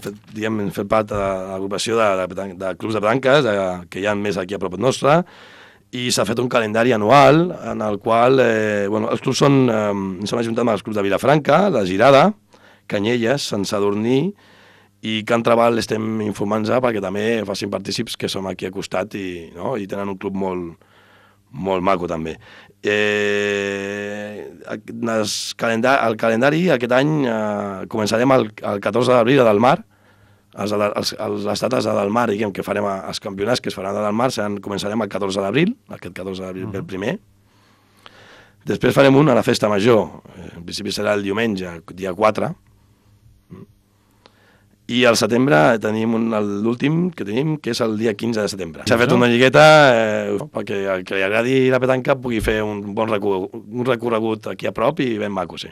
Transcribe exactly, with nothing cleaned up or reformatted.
fet, diguem, hem fet part de l'agrupació de, de, de clubs de petanques, de, que hi ha més aquí a prop nostre, i s'ha fet un calendari anual en el qual, eh, bueno, els clubs són, eh, ens hem ajuntat amb els clubs de Vilafranca, la Girada, Canyelles, Sant Sadurní, i Can Trabal estem informant-nos perquè també facin partícips que som aquí a costat i, no? I tenen un club molt, molt maco també. Eh, el, calendari, el calendari aquest any eh, començarem el, el catorze d'abril a Delmar, els, els, les dates a Delmar, diguem, que farem els campionats que es faran a Delmar, seran, començarem el catorze d'abril, aquest catorze d'abril uh-huh. el primer. Després farem un a la festa major, en principi serà el diumenge, dia quatre, i al setembre tenim l'últim que tenim, que és el dia quinze de setembre. S'ha fet una lligueta eh, perquè el que li agradi la petanca pugui fer un bon recorregut, un recorregut aquí a prop i ben maco, sí.